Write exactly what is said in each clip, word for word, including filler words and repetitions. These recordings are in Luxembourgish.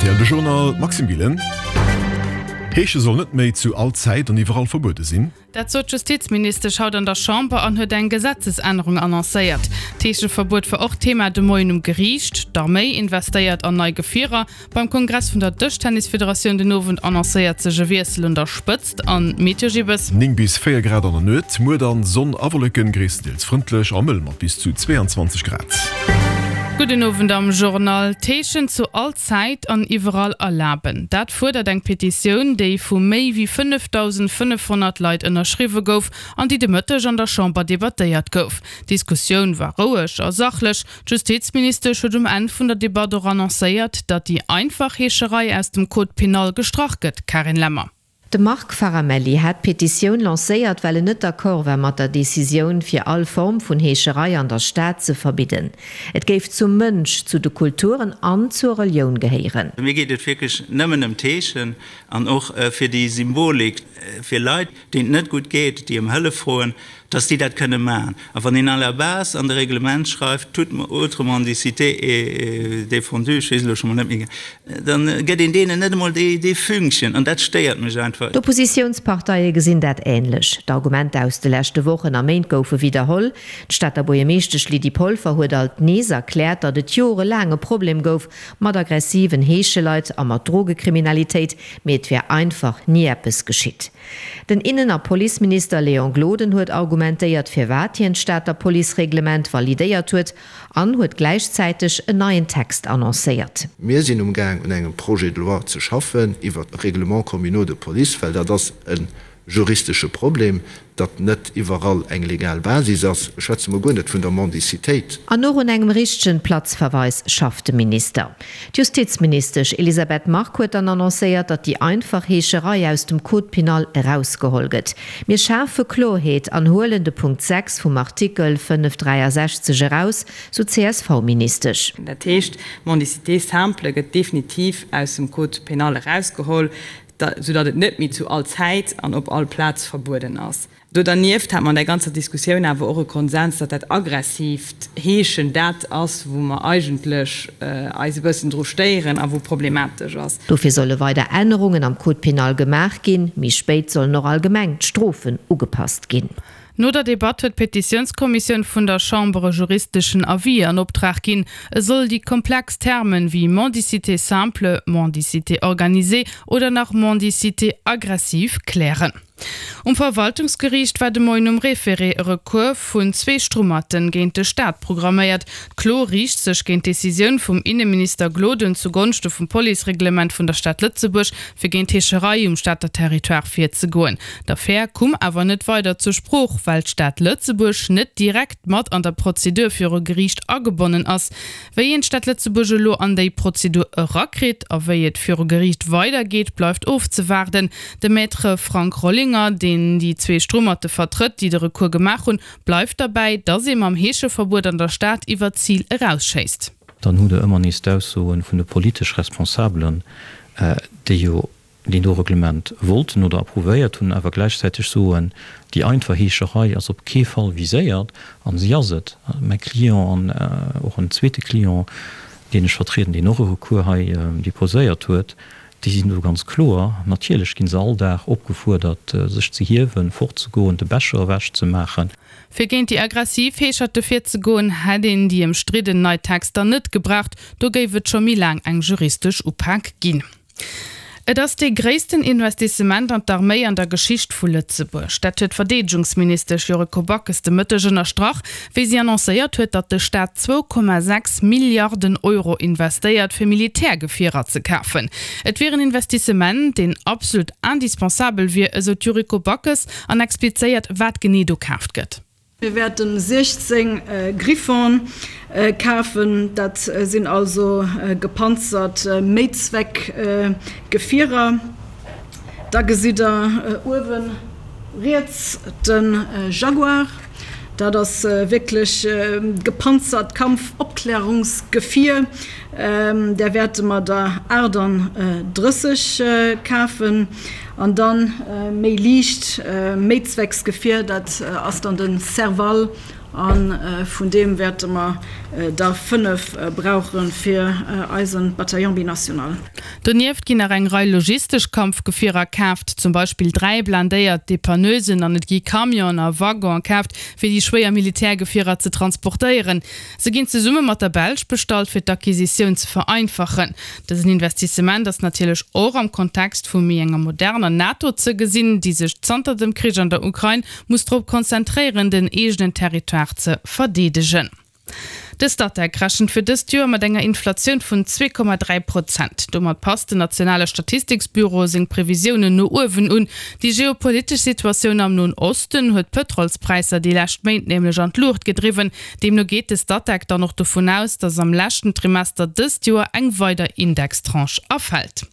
R T L de Journal, Maxime Gillen. Heesche soll net méi zu all Zäit an iwwerall verbuede sinn. Dat sot d'Justizministesch haut an der Chamber an huet eng Gesetzesännerung annoncéiert. D'Heescheverbuet war och Thema de Moien um Geriicht. D'Arméi investéiert an nei Gefierer. Beim Kongress vun der Dëschtennisfederatioun den Owend annoncéiert sech e Wiessel un der Spëtzt. An d'Meteo Gibbes. Néng bis véier Grad an der Nuet, muer dann Sonn a Wolleken, gréisstendeels frëndlech a mëll mat bis zu zweeanzwanzeg Grad. Gudden Owend am Journal. D'Heeschen zu all Zäit an iwwerall erlaben. Dat fuerdert eng Petitioun, déi vu méi wéi fënnefdausendfënnefhonnert Leit ënnerschriwwe gouf an déi de Mëtteg an der Chamber debattéiert gouf. D'Diskussioun war roueg a sachlech. D'Justizministesch huet um Enn vun der Debatt och annoncéiert, datt déi einfach Heescherei aus dem Code pénal gestrach gëtt. Carine Lemmer. De Marc Faramelli hat d'Petitioun lancéiert, well en net d'accord war mat der Decisioun, fir all Form vun Heescherei an der Stad ze verbidden. Et géif zum Mënsch, zu de Kulturen an zur Relioun gehéieren. Mir geet et wierklech nëmmen ëm d'Heeschen an och fir déi Symbolik, fir Leit, deenen et net gutt geet, déi ëm Hëllef froen, dass déi dat kënne maachen. A wann een à la base an de Reglement schreift, toute autre mendicité est défendue, ech weess elo scho mol net méi, da gëtt een deenen net emol dee Fünkchen an dat stéiert mech einfach. D'Oppositiounsparteie gesinn dat änlech. D'Argumenter aus de leschte Wochen a Méint goufe widderholl. D'Stater Buergermeeschtesch Lydie Polfer huet alt nees erkläert, datt et jorelaang e Problem gouf mat aggressiven Heescheleit a mat Drogekriminalitéit, mee et wär einfach ni eppes geschitt. Den Innen a Policeminister Léon Gloden huet argumentéiert, firwat hien d'Stater Policereglement validéiert huet an huet gläichzäiteg en neien Text annoncéiert. Mir sinn um Gaang un engem Projet de loi ze schaffen iwwert d'Règlements communaux de police, well dat ass e juristesche Problem, datt net iwwerall eng legal Basis ass. Ech schwätze mol guer net vun der Mendicitéit. An och un engem richtegen Platzverweis schafft de Minister. D'Justizministesch Elisabeth Margue huet dann annoncéiert, datt déi einfach Heescherei aus dem Code pénal erausgeholl gëtt. Mir schafe Kloerheet an huelen de Punkt sechs vum Artikel fënnef dräiasechzeg eraus, sou d'C S V-Ministesch. Dat heescht, d'Mendicité simple gëtt definitiv aus dem Code pénal erausgeholl, soudatt et net méi zu all Zäit an op all Plaz verbueden ass. Do dernieft hat mer an där ganzer Diskussioun awer och e Konsens, datt dat aggressiivt Heeschen dat ass, wou mer eigentlech eis e bëssen dru stéieren a wou problematesch ass. Dofir solle weider Ännerungen am Code pénal gemaach ginn. Méi spéit sollen och allgemeng d'Strofen ugepasst ginn. No der Debatt huet d'Petitiounskommissioun vun der Chamber e juristeschen Avis an Optrag ginn. E soll déi komplex Termen wéi mendicité simple, mendicité organisée oder nach mendicité aggressive klären. Um Verwaltungsgeriicht war de Moien um Référé e Recours vun zwee Strummerten géint de Staat programméiert. D'Klo riicht sech géint d'Decisioun vum Inneminister Gloden zu Gonschte vum Policereglement vun der Stad Lëtzebuerg, fir géint d'Heescherei um Stater Territoire virzegoen. D'Affär koum awer net weider zur Sprooch, well d'Stad Lëtzebuerg net direkt mat an der Prozedur viru Geriicht agebonnen ass. Wéi een d'Stad Lëtzebuerg elo an déi Prozedur erakritt a wéi et viru Geriicht weidergeet, bleift ofzewaarden. De Maître Frank Rollinger, deen déi zwee Strummerte vertrëtt, déi de Recours gemaach hunn, bleift derbäi, datt ee mam Heescheverbuet an der Stad iwwer d'Zil erausschéisst. Dann hutt Der ëmmer nees d'Aussoe vun de politesch Responsabelen, déi jo deen do Reglement wollten oder approuvéiert hunn, awer gläichzäiteg soen, déi einfach Heescherei ass op kee Fall viséiert, a si ass et. Mäi Client an och en zweete Client, deen ech vertrieden, deen och e Recours hei déposéiert huet, déi sinn do ganz kloer. Natierlech gi se all Dag opgefuerdert, sech ze hiewen, fortzegoen, de Becher ewechzemaachen. Fir géint déi aggressiv Heescherte virzegoen, hätt een déi ëmstridden nei Texter net gebraucht, do géif et scho méi laang eng juristesch Upak ginn. Et ass dee gréissten Investissement an d'Arméi an der Geschicht vu Lëtzebuerg. Dat huet d'Verdeedegungsministesch Yuriko Backes de Mëtteg ënnerstrach, wéi si annoncéiert huet, datt de Staat zwou Komma sechs Milliarden Euro investéiert, fir Militärgefierer ze kafen. Et wier en Investissement, deen absolut indispensabel wier, esou d'Yuriko Backes an explizéiert, wat genee do kaaft gëtt. Mir wäerten siechzéng Griffon kafen, dat sinn also gepanzert Méizweckgefierer. Da gesitt Der uewe riets de Jaguar, dat ass wierklech gepanzert Kampfopklärungsgefier, där wäerte mer der aachtanddrësseg kafen. An dann méi liicht Méizwecksgefier, dat ass dann de Serval A vun deem wäerte mer der fënnef brauche fir eise Bataillon binational. Donieft ginn nach eng Rei logistesch Kampfgefierer kaaft, zum Beispill dräi blindéiert Depanneusen an et gi Camionen a Waggonen kaaft, fir déi schwéier Militärgefierer ze transportéieren. Se ginn zesumme mat der Belsch bestallt, fir d'Acquisitioun ze vereinfachen. Dësen Investissement ass natierlech och am Kontext vu méi enger moderner NATO ze gesinn, déi sech zanter dem Krich an der Ukrain muss drop konzentréieren, den eegenen Territoire ze verdeedegen. De Statec rechent fir dëst Joer mat enger Inflatioun vun zwee Komma dräi Prozent. Domat passt den nationale Statistiksbüro seng Previsiounen no uewen un. Déi geopolitesch Situatioun am Noen Osten huet d'Pëtrolspräisser déi lescht Méint nämlech an d'Luucht gedriwwen. Deemno geet de Statec dann och dovun aus, datt am leschten Trimester dëst Joer eng weider Indextranche erfält.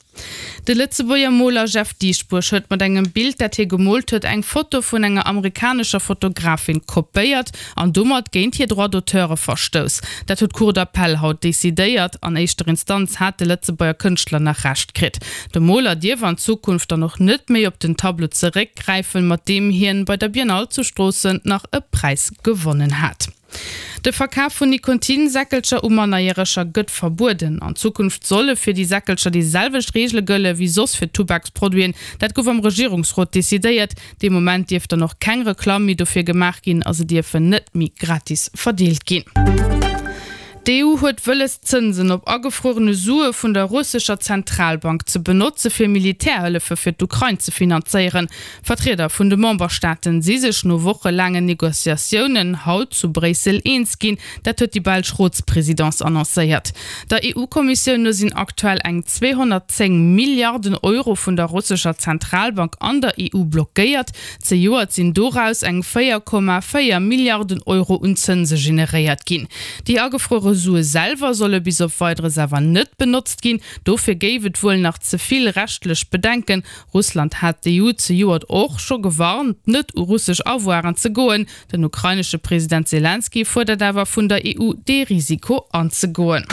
De Lëtzebuerger Moler Jeff Dieschbourg huet mat engem Bild, dat hie gemoolt huet, eng Foto vun enger amerikanescher Fotografin kopéiert an domat géint hir Droits d'auteure verstouss. Dat huet d'Cour d'appel haut decidéiert. An éischter Instanz hat de Lëtzebuerger Kënschtler nach Recht kritt. De Moler dierf an Zukunft dann och net méi op den Tableau zeréckgräifen, mat deem hien bei der Biennale zu Stroossen nach e Präis gewonnen hat. De Verkaf vun Nikotinsäckelcher u Mannerjäreger gëtt verbueden. An Zukunft solle fir déi Säckelcher déi selwecht Reegele gëlle wéi soss fir Tubaksproduiten. Dat gouf am Regierungsrot decidéiert. Dee Moment dierf dann och keng Reklamm méi dofir gemaach ginn a se dierfen net méi gratis verdeelt ginn. D'EU huet wëlles, d'Zënsen op agefruerene Sue vun der russescher Zentralbank ze benotze fir Militärhëllefe fir d'Ukrain ze finanzéieren. Vertrieder vun de Memberstaaten si sech no wochelaangen Negociatiounen haut zu Bréissel eens ginn. Dat huet déi belsch Rotspresidence annoncéiert. Der EU-Kommissioun no sinn aktuell eng zweehonnertzéng Milliarden Euro vun der russescher Zentralbank an der E U blockéiert. Zejoert sinn doraus eng véier Komma véier Milliarden Euro un Zënse generéiert ginn. Déi agefruere Sue selwer solle bis op Weideres awer net benotzt ginn. Dofir géif et wuel nach ze vill rechtlech Bedenken. Russland hat d'E U zejoert och scho gewarnt, net u russesch Avoiren ze goen. Den ukrainesche President Selenskyj fuerdert awer vun der E U, dee Risiko anzegoen.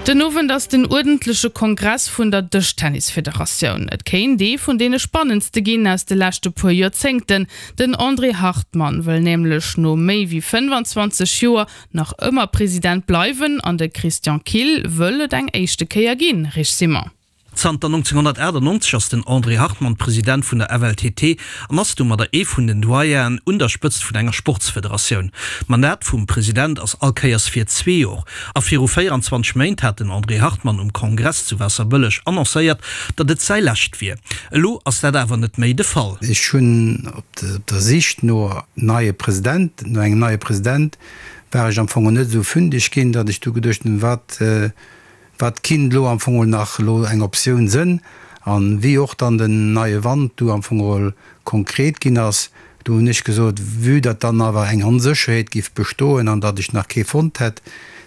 Den Owend ass den uerdentleche Kongress vun der Dëschtennisfederatioun. Et kéint ee vun deene spannendste ginn aus de leschte puer Joerzéngten. Den André Hartmann wëll nämlech no méi wéi fënnfanzwanzeg Joer nach ëmmer President bleiwen an de Christian Kill wëll et eng éischte Kéier ginn, Rich Simon. Zanter nonzénghonnertaachtenneunzeg ass den André Hartmann President vun der F L T T an ass domadder ee vun den Doyenen un der Spëtzt vun enger Sportsfederatioun. D'Mandat vum President ass all Kéiers fir zwee Joer. A viru véieranzwanzeg Méint hat den André Hartmann um Kongress zu Waasserbëlleg annoncéiert, datt et säi lescht wier. Elo ass dat awer net méi de Fall. Ech hunn op der Sich no neie President, no engem neie President war ech am Fong net esou fündeg ginn, datt ech du geduecht hunn, wat wat kinnt elo am Fong nach elo eng Optioun sënn. An wéi och dann den neie Wand du am Fong konkret ginn ass, du hunn ech gesot, vue datt dann awer eng Onsécherheet giff bestoen an datt ech nach kee fonnt hätt,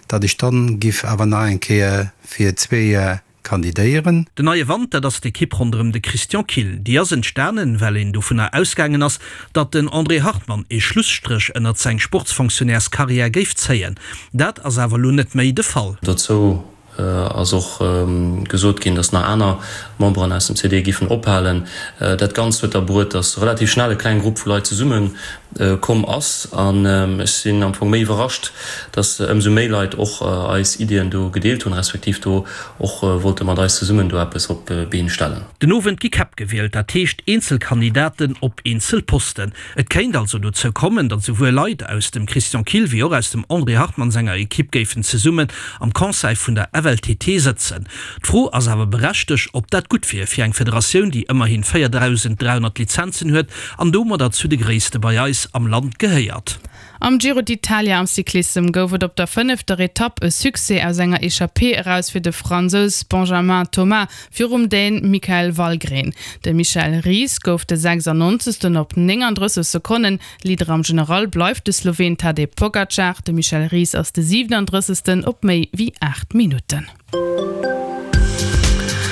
datt ech dann giff awer nach eng Kéier fir zwee Joer kandidéieren. Den Neie Wand, dat ass d'Ekipp ronderëm de Christian Kill. Déi ass entstanen, well een dovunner ausgaangen ass, datt den André Hartmann ee Schlusstréch ënnert seng Sportsfonctionnaireskarriär géif zéien. Dat ass awer elo net méi de Fall. Dozou ass och gesot ginn, datt nach aner Memberen aus dem C D giffen ophalen. Dat Ganzt huet da bruet, datt relativ schnell e kleng Grupp vu Leit zesumme komm ass. An ech sinn am Fong méi iwwerrascht, datt ëmsou méi Leit och eis Iddien do gedeelt hunn, respektiv do och wollte mat eis zesummen do eppes op d'Been stellen. Den Owend gi Käpp gewielt, dat heescht eenzel Kandidaten op eenzel Posten. Et kéint also dozou kommen, datt souwuel Leit aus dem Christian Kill wéi och aus dem André Hartmann senger Ekipp géifen zesummen am Conseil vun der F L T T sëtzen. D'Fro ass awer berechtegt, ob dat gutt wier fir eng Federatioun, déi ëmmerhin véierdausend dräihonnert Lizenzen huet an domadder zu de gréisste bei eis am Land gehéiert. Am Giro d'Italia am Cyclissem gouf et op der fënnefter Etapp e Succès aus enger Echappée eraus fir de Fransous Benjamin Thomas virum Dän Michael Valgren. De Michael Ries gouf de sechsannonzegsten op néngandrësseg Sekonnen. Leader am General bleift de Sloween Tadej Pogacar. De Michael Ries ass de siwenandrëssegsten op méi wéi aacht Minutten.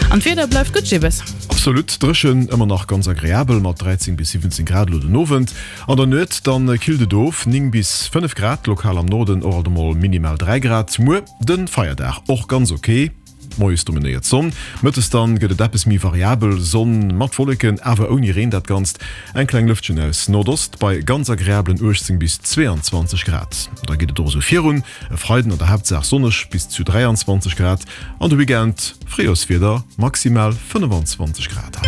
An d'Wieder bleift gutt, Jibbes. Absolut dréchen, ëmmer nach ganz agreabel mat dräizéng bis siwwenzéng Grad elo den Owend. An der Nuet dann killt et of, néng bis fënnef Grad, lokal am Norden och alt emol minimal dräi Grad. Muer de Feierdag och ganz ok. Moies dominéiert d'Sonn, mëttes dann gëtt et eppes méi variabel, Sonn mat Wolleken, awer ouni Reen dat Ganzt. Eng kleng Lëftchen aus Nordost bei ganz agreablen uechtzéng bis zweeanzwanzeg Grad. Da geet et och esou virun, e Freiden an der Haaptsaach sonneg bis zu dräianzwanzeg Grad an de Weekend Fréijorswieder, maximal fënnefan zwanzeg Grad.